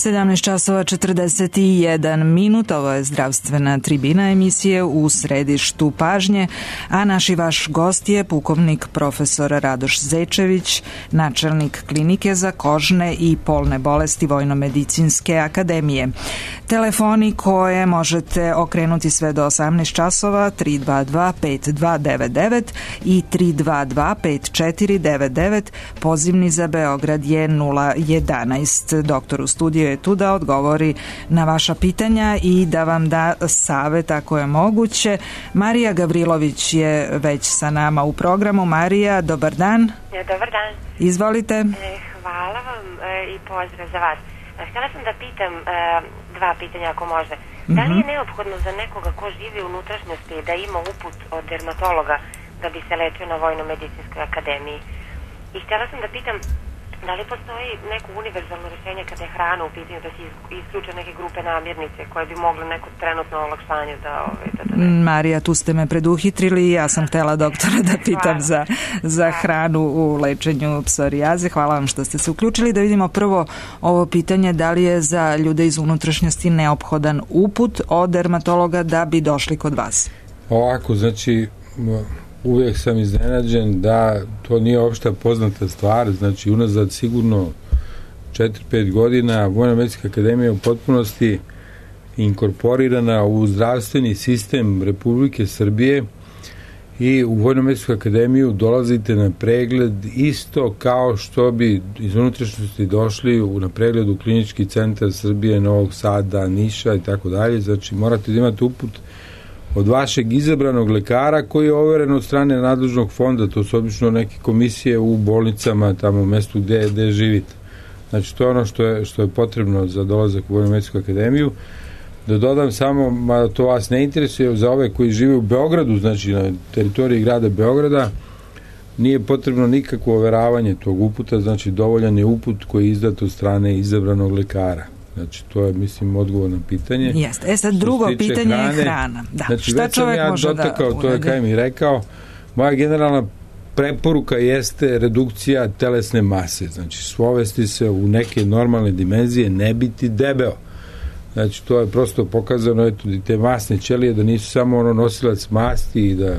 sedamnaest časova četrdeset jedan minut, ovo je zdravstvena tribina emisije U središtu pažnje, a naš i vaš gost je pukovnik profesor Radoš Zečević, načelnik klinike za kožne i polne bolesti Vojnomedicinske akademije. Telefoni koje možete okrenuti sve do osamnaest časova tri dva dva pet dva devet devet i tri dva dva pet četiri devet devet, pozivni za Beograd je nula jedanaest. Doktor u studiju je tu da odgovori na vaša pitanja i da vam da savet ako je moguće. Marija Gavrilović je već sa nama u programu. Marija, dobar dan. Dobar dan. Izvolite. Hvala vam i pozdrav za vas. Htjela sam da pitam dva pitanja ako može. Da li je neophodno za nekoga ko živi u unutrašnjosti da ima uput od dermatologa da bi se lečio na Vojnomedicinskoj akademiji? I htjela sam da pitam da li postoji neko univerzalno rješenje kada je hrana u pitanju, da se isključe neke grupe namirnice koje bi mogle neko trenutno olakšanje da... Ove, da, da ne... Marija, tu ste me preduhitrili i ja sam htjela doktora da pitam za, za hranu u lečenju psorijaze. Hvala vam što ste se uključili. Da vidimo prvo ovo pitanje, da li je za ljude iz unutrašnjosti neophodan uput od dermatologa da bi došli kod vas? Ovako, znači... Uvijek sam iznenađen da to nije opšta poznata stvar, znači unazad sigurno četiri pet godina Vojnomedicinska akademija u potpunosti inkorporirana u zdravstveni sistem Republike Srbije i u Vojnomedicinsku akademiju dolazite na pregled isto kao što bi iz unutrašnjosti došli u, na pregled u Klinički centar Srbije, Novog Sada, Niša i tako dalje, znači morate da imate uput od vašeg izabranog lekara koji je overen od strane nadležnog fonda, to su obično neke komisije u bolnicama, tamo u mestu gde, gde živite. Znači, to je ono što je, što je potrebno za dolazak u Vojnomedicinsku akademiju. Da dodam samo, mada to vas ne interesuje, za ove koji žive u Beogradu, znači na teritoriji grada Beograda, nije potrebno nikakvo overavanje tog uputa, znači dovoljan je uput koji je izdat od strane izabranog lekara. Znači, to je, mislim, odgovor na pitanje. Jeste. E sad, drugo pitanje hrane, je hrana. Da. Znači, šta već sam ja dotakao, to je kaj mi rekao, moja generalna preporuka jeste redukcija telesne mase. Znači, svovesti se u neke normalne dimenzije, ne biti debeo. Znači, to je prosto pokazano, eto, i te masne ćelije, da nisu samo ono nosilac masti i da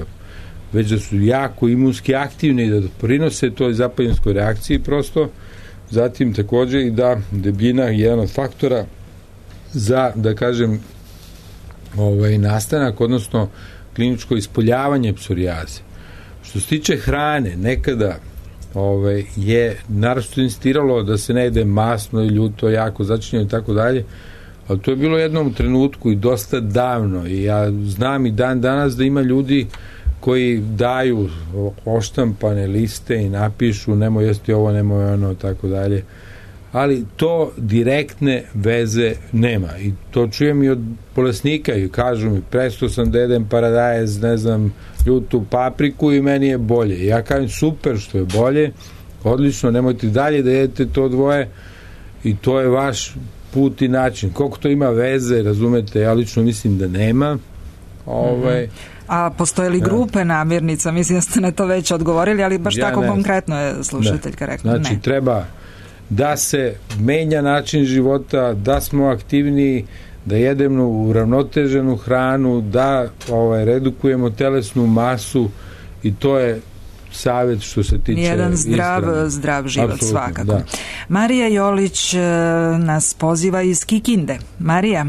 već da su jako imunski aktivni i da prinose toj zapaljenskoj reakciji prosto. Zatim također i da debljina je jedan od faktora za, da kažem, ovaj, nastanak, odnosno kliničko ispoljavanje psorijaze. Što se tiče hrane, nekada ovaj, je naročito insistiralo da se ne jede masno i ljuto, jako začinjeno i tako dalje, ali to je bilo jednom trenutku i dosta davno i ja znam i dan danas da ima ljudi koji daju oštampane liste i napišu nemoj jesti ovo, nemoj ono, tako dalje. Ali to direktne veze nema. I to čujem i od bolesnika i kažu mi, prestao sam da jedem paradajz, ne znam, ljutu papriku i meni je bolje. Ja kažem, super što je bolje, odlično, nemojte dalje da jedete to dvoje i to je vaš put i način. Koliko to ima veze, razumete, ja lično mislim da nema. Ovaj, mm-hmm. A postoje li grupe namirnica? Mislim da ste na to već odgovorili, ali baš ja tako ne, konkretno je slušateljka rekla. Znači, ne. treba da se menja način života, da smo aktivniji, da jedemo uravnoteženu hranu, da ovaj, redukujemo telesnu masu i to je savjet što se tiče jedan zdrav, ishrane. zdrav život. Apsolutno, svakako. Da. Marija Jolić nas poziva iz Kikinde. Marija.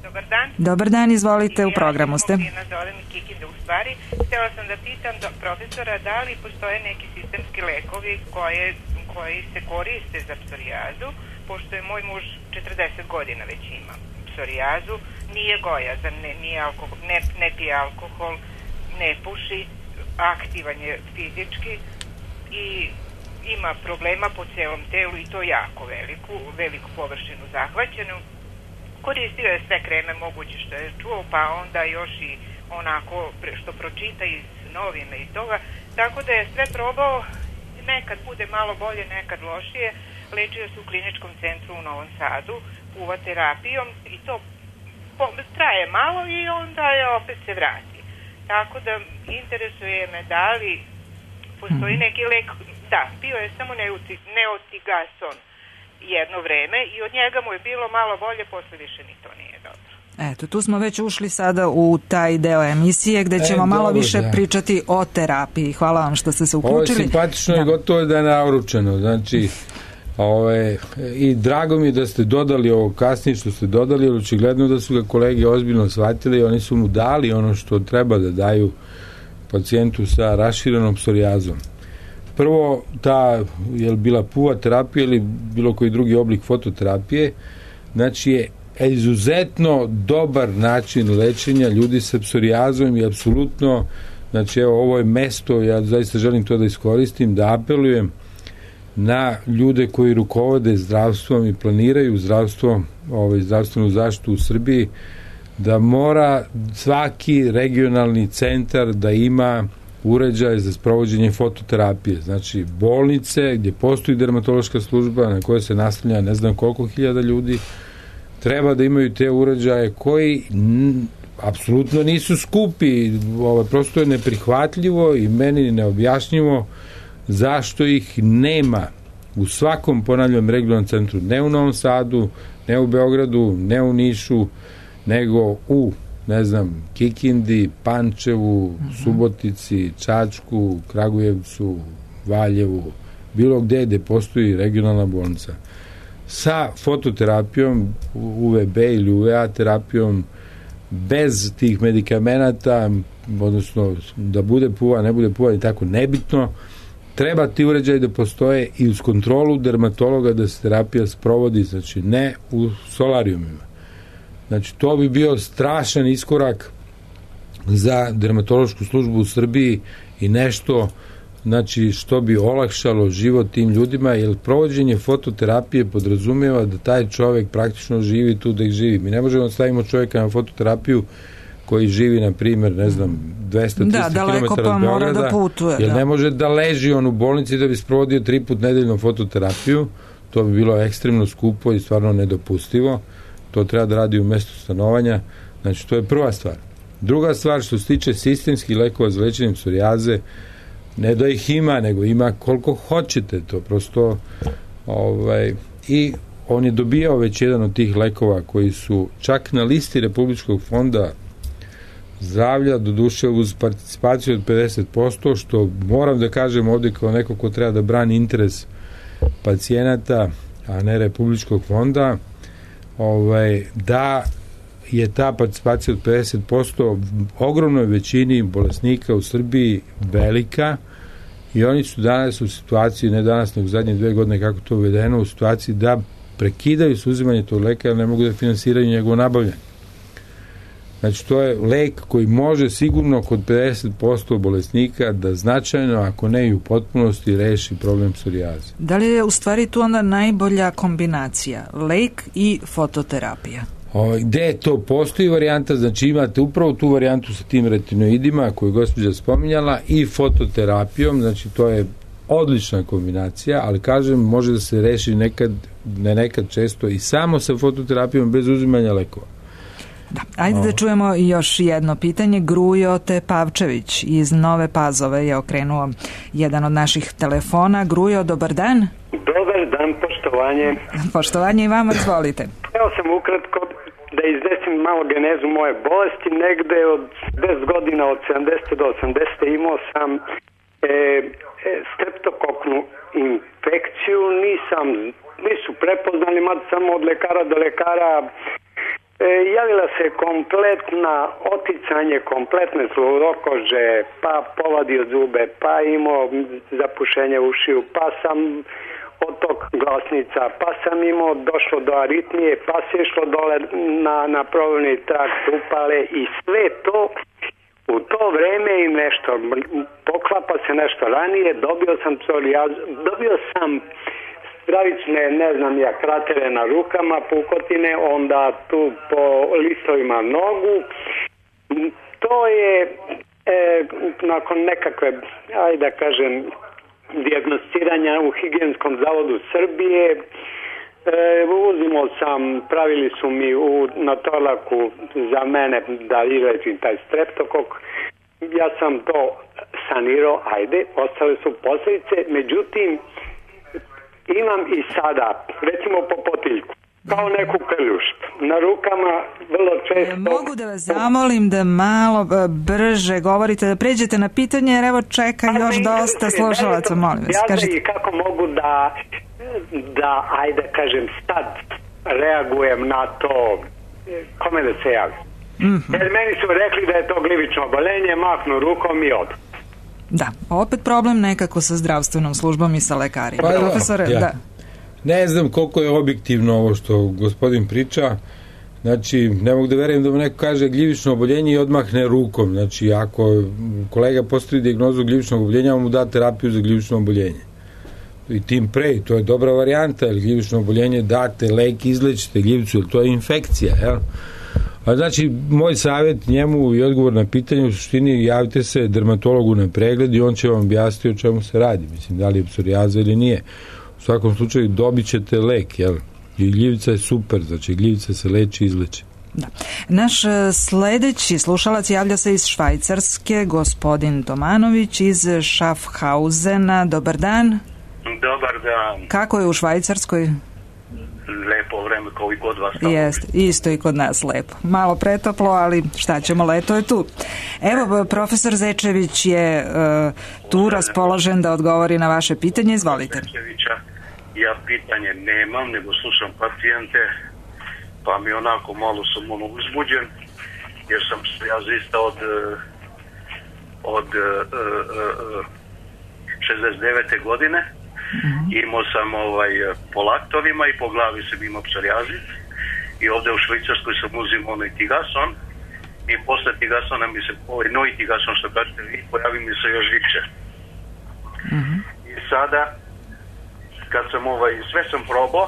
Dobar dan. Dobar dan, izvolite, ja, u programu ste. Ja zovem iz Kikinde u stvari. Htjela sam da pitam do profesora da li postoje neki sistemski lekovi koje, koji se koriste za psorijazu, pošto je moj muž četrdeset godina već ima psorijazu, nije gojazan, ne, nije alkohol, ne, ne pije alkohol, ne puši, aktivan je fizički i ima problema po celom telu i to jako veliku, veliku površinu zahvaćenu. Koristio je sve kreme moguće što je čuo, pa onda još i onako što pročita iz novina i toga, tako da je sve probao, nekad bude malo bolje, nekad lošije. Lečio se u kliničkom centru u Novom Sadu, puva terapijom i to traje malo i onda je opet se vrati. Tako da interesuje me da li postoji neki lek, da, bio je samo neotigason jedno vreme i od njega mu je bilo malo bolje, posle više ni to nije dobro. Eto, tu smo već ušli sada u taj deo emisije gde ćemo e, malo dobro, više da. pričati o terapiji. Hvala vam što ste se uključili. Ovo je simpatično da. i gotovo je da je nauručeno. Znači, ove, i drago mi je da ste dodali ovo kasnije što ste dodali, jer očigledno da su ga kolege ozbiljno shvatili i oni su mu dali ono što treba da daju pacijentu sa raširenom psorijazom. Prvo, ta je bila puva terapija ili bilo koji drugi oblik fototerapije, znači je izuzetno dobar način lečenja ljudi sa psorijazom i apsolutno, znači evo ovo je mesto, ja zaista želim to da iskoristim, da apelujem na ljude koji rukovode zdravstvom i planiraju zdravstvo, ovaj, zdravstvenu zaštitu u Srbiji, da mora svaki regionalni centar da ima uređaj za sprovođenje fototerapije. Znači, bolnice gdje postoji dermatološka služba na kojoj se naslanja ne znam koliko hiljada ljudi, treba da imaju te uređaje koji n, apsolutno nisu skupi. Ovo, prosto je neprihvatljivo i meni neobjašnjivo zašto ih nema u svakom, ponavljam, regionalnom centru, ne u Novom Sadu, ne u Beogradu, ne u Nišu, nego u, ne znam, Kikindi, Pančevu, uh-huh. Subotici, Čačku, Kragujevcu, Valjevu, bilo gde gde postoji regionalna bolnica. Sa fototerapijom, U V B ili U V A terapijom, bez tih medikamenata, odnosno da bude puva, ne bude puva i tako nebitno, treba ti uređaj da postoje i uz kontrolu dermatologa da se terapija sprovodi, znači ne u solarijumima. Znači to bi bio strašan iskorak za dermatološku službu u Srbiji i nešto, znači što bi olakšalo život tim ljudima, jer provođenje fototerapije podrazumijeva da taj čovjek praktično živi tu da ih živi. Mi ne možemo stavimo čovjeka na fototerapiju koji živi, na primjer, ne znam, dvesta do trista kilometara od Beograda, da putuje, jer da. ne može da leži on u bolnici da bi sprovodio tri put nedeljno fototerapiju. To bi bilo ekstremno skupo i stvarno nedopustivo. To treba da radi u mjestu stanovanja. Znači, to je prva stvar. Druga stvar, što se tiče sistemskih lekova za lečenje psorijaze, ne da ih ima, nego ima koliko hoćete, to prosto ovaj, i on je dobijao već jedan od tih lekova koji su čak na listi Republičkog fonda zdravlja, doduše uz participaciju od pedeset posto, što moram da kažem ovdje kao neko ko treba da brani interes pacijenata, a ne Republičkog fonda, ovaj, da je ta participacija od pedeset posto ogromnoj većini bolesnika u Srbiji velika i oni su danas u situaciji, ne danas, nego zadnje dve godine kako to uvedeno, u situaciji da prekidaju s uzimanje tog leka, jer ne mogu da finansiraju njegovo nabavljanje. Znači, to je lek koji može sigurno kod pedeset posto bolesnika da značajno, ako ne i u potpunosti, reši problem psorijaze. Da li je u stvari tu onda najbolja kombinacija, lek i fototerapija? O, gde to postoji varijanta, znači imate upravo tu varijantu sa tim retinoidima koju je gospođa spominjala i fototerapijom, znači to je odlična kombinacija, ali kažem, može da se reši nekad, ne nekad često i samo sa fototerapijom bez uzimanja lekova. Da. Ajde da čujemo još jedno pitanje. Grujo Tepavčević iz Nove Pazove je okrenuo jedan od naših telefona. Grujo, dobar dan. Dobar dan, poštovanje. Poštovanje i vama, izvolite. Evo sam ukratko da izdesim malo genezu moje bolesti. Negde od deset godina, od sedamdesete do osamdesete imao sam e, e, streptokoknu infekciju. Nisam, nisu prepoznali, mada samo od lekara do lekara. E, javila se kompletna oticanje, kompletne slurokože, pa povadio zube, pa imao zapušenje ušiju, pa sam otok glasnica, pa sam imao došlo do aritmije, pa se išlo dole na, na probavni trakt, upale i sve to u to vreme i nešto, poklapa se nešto ranije, dobio sam psorijazu, dobio sam stravične, ne znam ja, kratere na rukama, pukotine, onda tu po listovima nogu. To je e, nakon nekakve, ajde da kažem, dijagnosticiranja u Higijenskom zavodu Srbije. E, uzimao sam, pravili su mi u, na Torlaku za mene da izlečim taj streptokok. Ja sam to sanirao, ajde, ostale su posljedice, međutim, imam i sada, recimo po potiljku, kao neku krljušt. Na rukama vrlo često... Mogu da vas zamolim da malo brže govorite, da pređete na pitanje, jer evo čeka pa još dosta slušalaca, molim vas. Kažete. I kako mogu da, da, ajde kažem, sad reagujem na to, kome da se javim. Mm-hmm. Jer meni su rekli da je to glivično oboljenje, mahnu rukom i odu. Da, opet problem nekako sa zdravstvenom službom i sa lekarima. Pa, profesore, ja. da. Ne znam koliko je objektivno ovo što gospodin priča. Znači, ne mogu da verujem da mu neko kaže gljivično oboljenje i odmahne rukom. Znači, ako kolega postavi dijagnozu gljivičnog oboljenja, on mu da terapiju za gljivično oboljenje. I tim pre, to je dobra varijanta, jer gljivično oboljenje date lek, izlečite gljivicu, jer to je infekcija, jel? A znači, moj savjet njemu i odgovor na pitanje u suštini, javite se dermatologu na pregled i on će vam objasniti o čemu se radi. Mislim, da li je psorijaza ili nije. U svakom slučaju dobit ćete lek, jel? I gljivica je super, znači gljivica se leči i izleči. Da. Naš sledeći slušalac javlja se iz Švajcarske, gospodin Tomanović iz Schaffhausena. Dobar dan. Dobar dan. Kako je u Švajcarskoj? Lepo vreme kao i kod vas. Jeste, isto i kod nas lepo. Malo pretoplo, ali šta ćemo, leto je tu. Evo, profesor Zečević je uh, tu raspoložen da odgovori na vaše pitanje. Izvolite. Zečevića, ja pitanje nemam, nego slušam pacijente, pa mi onako malo sam ono uzbuđen, jer sam psoriazista od od uh, uh, šezdeset devete godine. Mm-hmm. Imao sam ovaj, po laktovima i po glavi sam imao psorijazis i ovdje u Švicarskoj sam uzimao onaj tigason i posle tigasona mi se, ovaj novi tigason što kažete vi, pojavi mi se još više. Mm-hmm. I sada kad sam ovaj, sve sam probao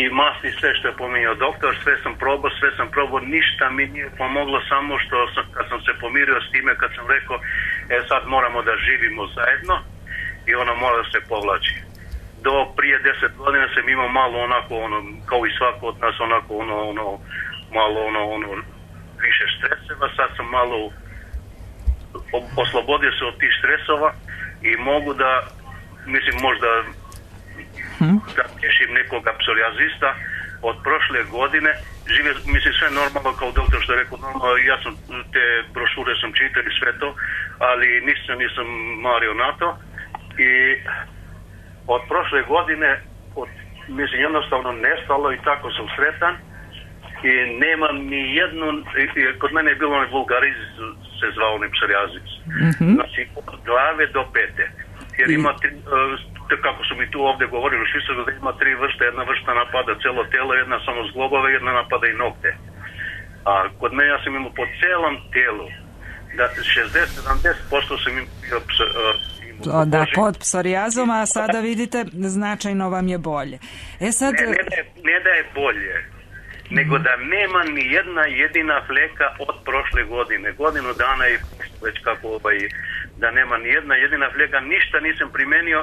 i masti sve što je pominjao doktor, sve sam probao, sve sam probao, ništa mi nije pomoglo, samo što sam, kad sam se pomirio s time, kad sam rekao e sad moramo da živimo zajedno i ono mora da se povlači. Do prije deset godina sam imao malo onako, ono, kao i svako od nas, onako, ono, ono, malo, ono, ono, više streseva, sad sam malo oslobodio se od tih stresova i mogu da, mislim, možda hmm. da tješim nekoga psorijazista od prošle godine, žive, mislim, sve normalno, kao doktor što je rekao, normalno, ja sam, te brošure sam čitao i sve to, ali nisam, nisam mario na to. I od prošle godine od, mislim jednostavno nestalo i tako sam sretan i nemam ni jednu, kod mene je bilo onaj vulgariz se zvao onaj psorijazis, mm-hmm. znači od glave do pete, jer ima tri, kako su mi tu ovdje govorili u Švicarskoj, da ima tri vrste, jedna vrsta napada celo telo, jedna samo zglobove, jedna napada i nokte, a kod mene ja sam imao po celom telu da šezdeset do sedamdeset posto sam imao pso, da, pod psorijazom, a sada vidite značajno vam je bolje. E sad... ne, ne, da je, ne da je bolje, nego da nema ni jedna jedina fleka od prošle godine. Godinu dana je već kako ovaj, da nema ni jedna jedina fljega, ništa nisam primenio,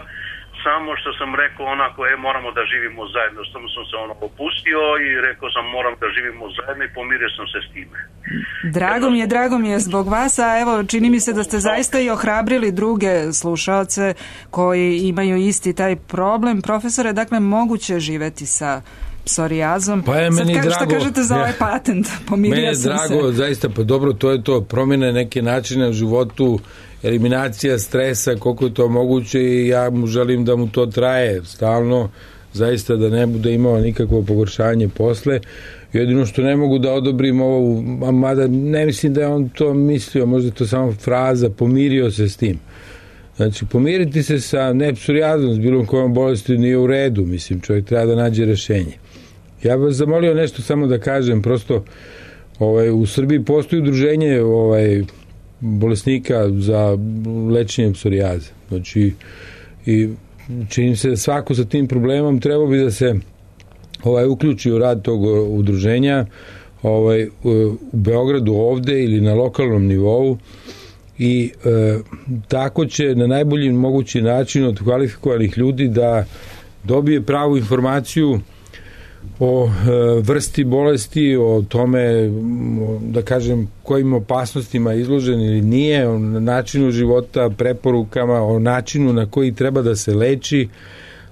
samo što sam rekao onako, e, moramo da živimo zajedno, samo sam se ono opustio i rekao sam moram da živimo zajedno i pomirio sam se s time. Drago mi je, drago mi je zbog vas, a evo čini mi se da ste zaista i ohrabrili druge slušaoce koji imaju isti taj problem. Profesore, dakle, moguće je živeti sa psorijazom. Pa je meni Sad, drago. Šta kažete za ovaj patent? Pomirio meni je sam drago, se. zaista, pa dobro, to je to, promjene neke načine u životu, eliminacija stresa, koliko je to moguće i ja mu želim da mu to traje stalno, zaista da ne bude imao nikakvo pogoršanje posle. Jedino što ne mogu da odobrim ovo, mada ne mislim da je on to mislio, možda je to samo fraza, pomirio se s tim. Znači, pomiriti se sa ne psorijazom, s bilo kojom bolesti nije u redu, mislim, čovjek treba da nađe rešenje. Ja bih vas zamolio nešto samo da kažem, prosto ovaj, u Srbiji postoji udruženje ovaj, bolesnika za lečenje psorijaze. Znači, i čini se da svako sa tim problemom treba bi da se ovaj, uključi u rad tog udruženja ovaj, u Beogradu ovde ili na lokalnom nivou i e, tako će na najbolji mogući način od kvalifikovanih ljudi da dobije pravu informaciju o e, vrsti bolesti, o tome, da kažem, kojim opasnostima je izložen ili nije, o načinu života, preporukama, o načinu na koji treba da se leči.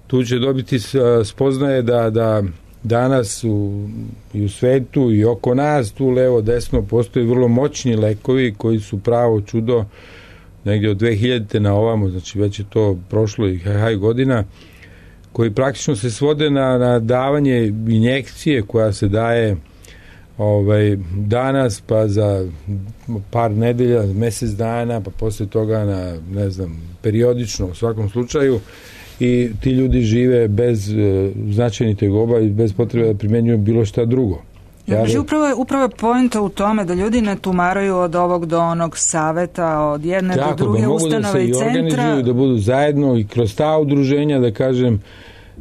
Tu će dobiti spoznaje da, da danas u, i u svetu i oko nas, tu levo, desno, postoje vrlo moćni lekovi koji su pravo čudo negdje od dve hiljadite na ovamo, znači već je to prošlo i haj godina, koji praktično se svode na, na davanje injekcije koja se daje ovaj, danas, pa za par nedelja, mesec dana, pa posle toga na, ne znam, periodično u svakom slučaju, i ti ljudi žive bez e, značajnih tegoba i bez potrebe da primenjuju bilo šta drugo. Ja, ja, upravo je, upravo je poenta u tome da ljudi ne tumaraju od ovog do onog saveta, od jedne tako, do druge ustanove i centra. Mogu da se i organizuju, da budu zajedno i kroz ta udruženja, da kažem,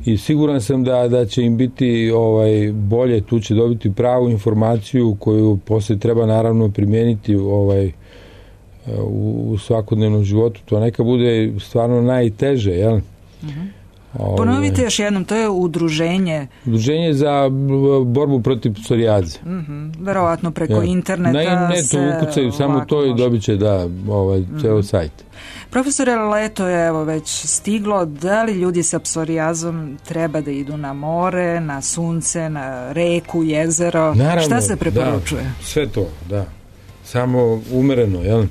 i siguran sam da, da će im biti ovaj, bolje, tu će dobiti pravu informaciju koju posle treba naravno primijeniti ovaj, u, u svakodnevnom životu. To neka bude stvarno najteže, jel? Uh-huh. Ove, Ponovite još jednom, to je udruženje. Udruženje za borbu protiv psorijaze. Uh-huh. Verovatno preko ja. interneta. Na internetu ukucaju samo to i dobit će da, ovaj, ceo uh-huh. sajt. Profesore, leto je evo već stiglo. Da li ljudi sa psorijazom treba da idu na more, na sunce, na reku, jezero? Naravno, šta se preporučuje? Da, sve to, da. Samo umereno, jel?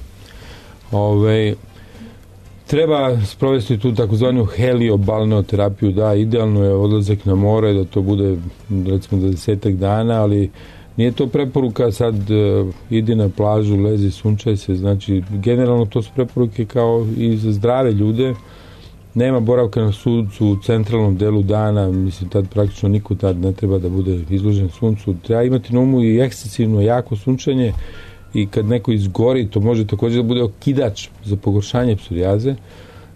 Ove, treba sprovesti tu takozvanu heliobalneoterapiju, da, idealno je odlazak na more, da to bude recimo dvadesetak dana, ali nije to preporuka sad uh, idi na plažu, lezi, sunčaj se, znači generalno to su preporuke kao i za zdrave ljude. Nema boravka na suncu u centralnom delu dana, mislim tad praktično niko tad ne treba da bude izložen suncu. Treba imati na umu i ekscesivno jako sunčanje i kad neko izgori, to može također da bude okidač za pogoršanje psorijaze.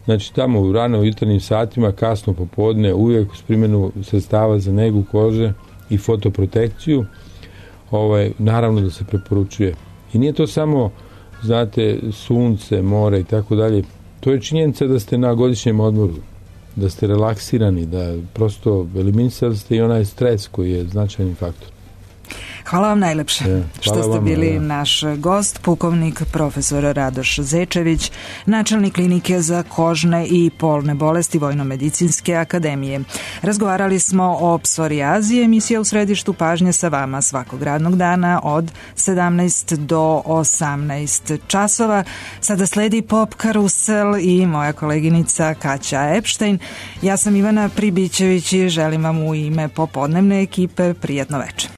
Znači tamo u rano u jutarnjim satima, kasno popodne, uvijek uz primjenu sredstava za negu kože i fotoprotekciju, ovaj, naravno da se preporučuje. I nije to samo, znate, sunce, more i tako dalje. To je činjenica da ste na godišnjem odmoru, da ste relaksirani, da prosto eliminisali ste i onaj stres koji je značajni faktor. Hvala vam najlepše ja, što ste vam, bili ja. naš gost, pukovnik profesor Radoš Zečević, načelnik klinike za kožne i polne bolesti Vojno-medicinske akademije. Razgovarali smo o psorijazi, emisija u središtu pažnje sa vama svakog radnog dana od sedamnaest do osamnaest časova. Sada sledi Pop Karusel i moja koleginica Kaća Epštajn. Ja sam Ivana Pribićević i želim vam u ime popodnevne ekipe prijatno večer.